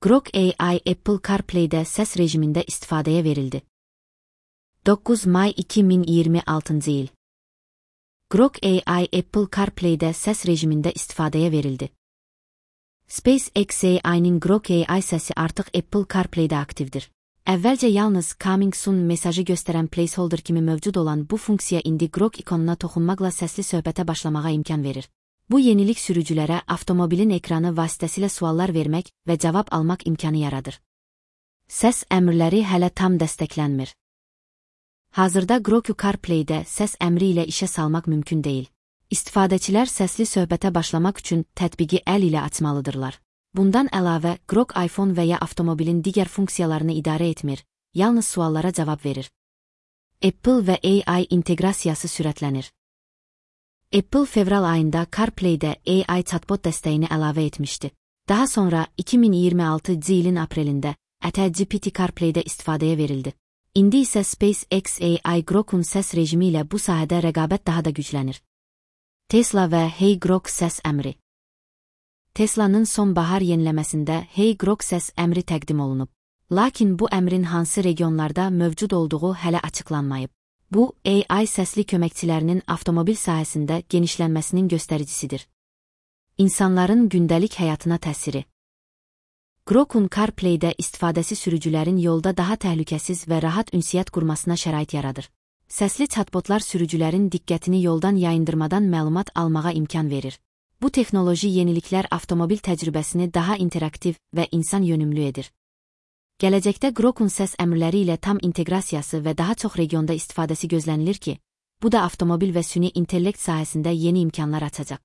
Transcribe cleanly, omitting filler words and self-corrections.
Grok AI Apple CarPlay'de səs rejimində istifadəyə verildi. 9 may 2026 il. Grok AI Apple CarPlay'de səs rejimində istifadəyə verildi. SpaceX AI'nin Grok AI səsi artıq Apple CarPlay'də aktivdir. Əvvəlcə yalnız Coming Soon mesajı göstərən placeholder kimi mövcud olan bu funksiya indi Grok ikonuna toxunmaqla səsli söhbətə başlamağa imkan verir. Bu yenilik sürücülərə avtomobilin ekranı vasitəsilə suallar vermək və cavab almaq imkanı yaradır. Səs əmrləri hələ tam dəstəklənmir. Hazırda Grok CarPlay'də səs əmri ilə işə salmaq mümkün deyil. İstifadəçilər səsli söhbətə başlamaq üçün tətbiqi əl ilə açmalıdırlar. Bundan əlavə, Grok iPhone və ya avtomobilin digər funksiyalarını idarə etmir, yalnız suallara cavab verir. Apple və AI inteqrasiyası sürətlənir. Apple fevral ayında CarPlay'də AI chatbot dəstəyini əlavə etmişdi. Daha sonra 2026 ilin aprelində GPT CarPlay'də istifadəyə verildi. İndi isə SpaceX AI Grok'un səs rejimi ilə bu sahədə rəqabət daha da güclənir. Tesla və Hey Grok səs əmri. Tesla'nın sonbahar yeniləməsində Hey Grok səs əmri təqdim olunub. Lakin bu əmrin hansı regionlarda mövcud olduğu hələ açıqlanmayıb. Bu, AI səsli köməkçilərinin avtomobil sahəsində genişlənməsinin göstəricisidir. İnsanların gündəlik həyatına təsiri. Grok'un CarPlay'də istifadəsi sürücülərin yolda daha təhlükəsiz və rahat ünsiyyət qurmasına şərait yaradır. Səsli chatbotlar sürücülərin diqqətini yoldan yayındırmadan məlumat almağa imkan verir. Bu texnoloji yeniliklər avtomobil təcrübəsini daha interaktiv və insan yönümlü edir. Gələcəkdə Grok'un səs əmrləri ilə tam inteqrasiyası və daha çox regionda istifadəsi gözlənilir ki, bu da avtomobil və süni intellekt sahəsində yeni imkanlar açacaq.